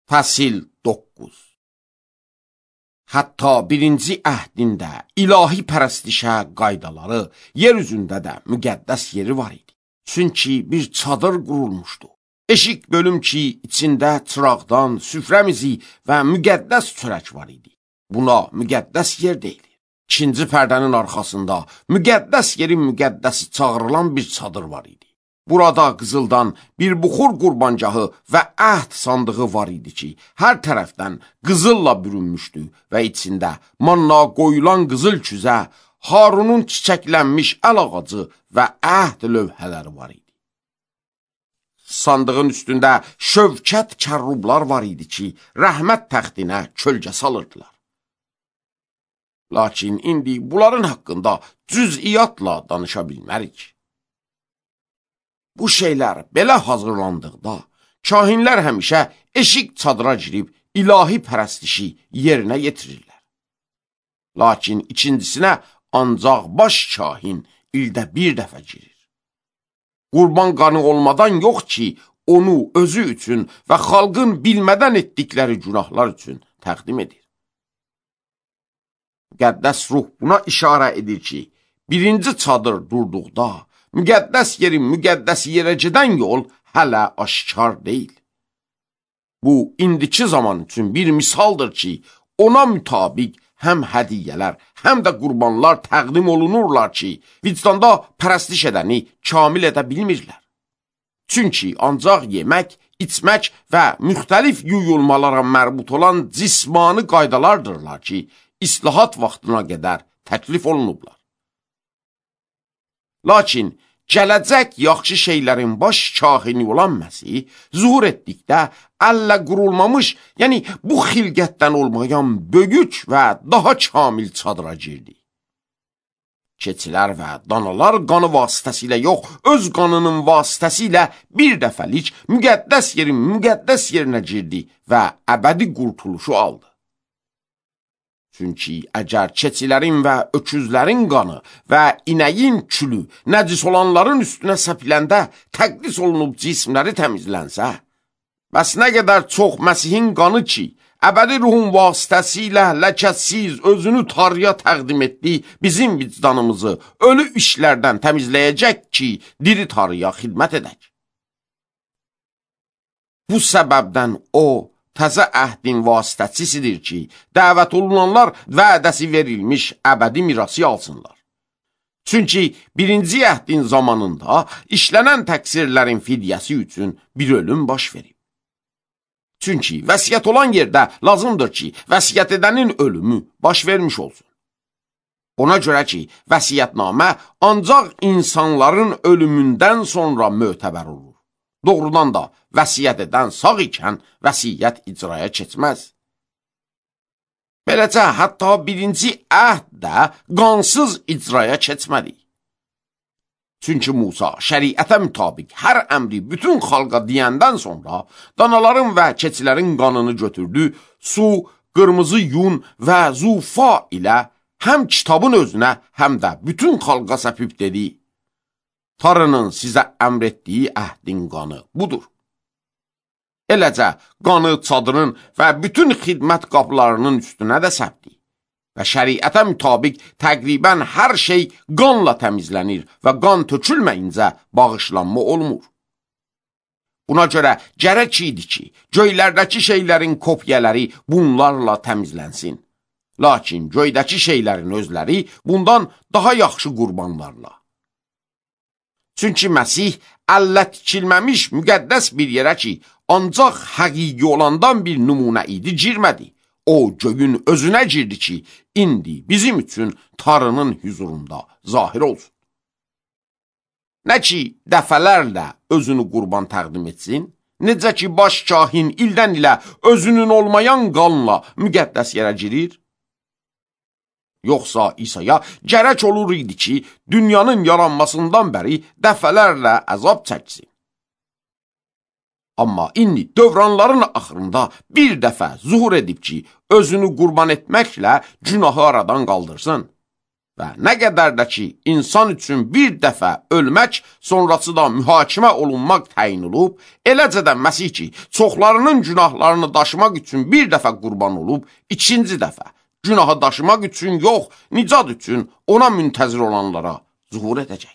Fəsil 9. Hətta birinci əhdində ilahi pərəstişə qaydaları yer üzündə də müqəddəs yeri var idi. Çünki bir çadır qurulmuşdu. Eşik bölüm ki, içində çıraqdan, süfrəmizi və müqəddəs çörək var idi. Buna müqəddəs yer deyilir. İkinci pərdənin arxasında müqəddəs yerin müqəddəsi çağırılan bir çadır var idi. Burada qızıldan bir buxur qurbancahı və əhd sandığı var idi ki, hər tərəfdən qızılla bürünmüşdü və içində manna qoyulan qızıl küzə, Harunun çiçəklənmiş əl ağacı və əhd lövhələri var idi. Sandığın üstündə şövkət kərrublar var idi ki, rəhmət təxtinə kölgə salırdılar. Lakin indi bunların haqqında cüz'iyyatla danışa bilmərik. Bu şeylər belə hazırlandıqda, kahinlər həmişə eşik çadıra girib ilahi pərəstişi yerinə yetirirlər. Lakin ikincisinə ancaq baş kahin ildə bir dəfə girir. Qurban qanı olmadan yox ki, onu özü üçün və xalqın bilmədən etdikləri günahlar üçün təqdim edir. Müqəddəs ruh buna işarə edir ki, birinci çadır durduqda, müqəddəs yerin müqəddəsi yerə gedən yol hələ aşkar deyil. Bu, indiki zaman üçün bir misaldır ki, ona mütabiq həm hədiyyələr, həm də qurbanlar təqdim olunurlar ki, vicdanda pərəstiş edəni kamil edə bilmirlər. Çünki ancaq yemək, içmək və müxtəlif yuyulmalara mərbut olan cismani qaydalaردırlar ki, islahat vaxtına qədər təklif olunublar. Lakin gələcək yaxşı şeylərin baş kahini olan Məsih zuhur etdikdə əllə qurulmamış, yəni bu xilqətdən olmayan böyük və daha kamil çadıra girdi. Keçilər və danalar qanı vasitəsilə yox, öz qanının vasitəsilə bir dəfəlik müqəddəs yerin müqəddəs yerinə girdi və əbədi qurtuluşu aldı. Çünki əgər keçilərin və öküzlərin qanı və inəyin külü nəcis olanların üstünə səpiləndə təqdis olunub cismləri təmizlənsə, bəs nə qədər çox Məsihin qanı ki, əbədi ruhun vasitəsilə ləkəsiz özünü Tanrıya təqdim etdi, bizim vicdanımızı ölü işlərdən təmizləyəcək ki, diri Tanrıya xidmət edək. Bu səbəbdən o, təzə əhdin vasitəçisidir ki, dəvət olunanlar vədəsi verilmiş əbədi mirası alsınlar. Çünki birinci əhdin zamanında işlənən təqsirlərin fidyəsi üçün bir ölüm baş verib. Çünki vəsiyyət olan yerdə lazımdır ki, vəsiyyət edənin ölümü baş vermiş olsun. Ona görə ki, vəsiyyətnamə ancaq insanların ölümündən sonra mötəbər olur. Doğrudan da vəsiyyət edən sağ ikən vəsiyyət icraya keçməz. Beləcə, hətta birinci əhd də qansız icraya keçmədi. Çünki Musa şəriətə mütabiq hər əmri bütün xalqa deyəndən sonra danaların və keçilərin qanını götürdü, su, qırmızı yun və zufa ilə həm kitabın özünə, həm də bütün xalqa səpib dedi: Tanrının sizə əmr etdiyi əhdin qanı budur. Eləcə, qanı çadırın və bütün xidmət qapılarının üstünə də səpdi və şəriətə mütabiq təqribən hər şey qanla təmizlənir və qan tökülməyincə bağışlanma olmur. Buna görə gərək idi ki, göylərdəki şeylərin kopyaları bunlarla təmizlənsin. Lakin göydəki şeylərin özləri bundan daha yaxşı qurbanlarla. Çünki Məsih əllə tikilməmiş müqəddəs bir yerə ki, ancaq həqiqi olandan bir nümunə idi, girmədi. O, göyün özünə girdi ki, indi bizim üçün Tanrının hüzurunda zahir olsun. Nə ki, dəfələrlə özünü qurban təqdim etsin, necə ki, baş kahin ildən ilə özünün olmayan qanla müqəddəs yerə girir, yoxsa İsa'ya gərək olur idi ki, dünyanın yaranmasından bəri dəfələrlə əzab çəksin. Amma indi dövranların axırında bir dəfə zuhur edib ki, özünü qurban etməklə günahı aradan qaldırsın. və nə qədər də ki, insan üçün bir dəfə ölmək, sonrası da mühakimə olunmaq təyin olub, eləcə də Məsih ki, çoxlarının günahlarını daşımaq üçün bir dəfə qurban olub, ikinci dəfə günahı daşımaq üçün yox, nicat üçün ona müntəzir olanlara zuhur edəcək.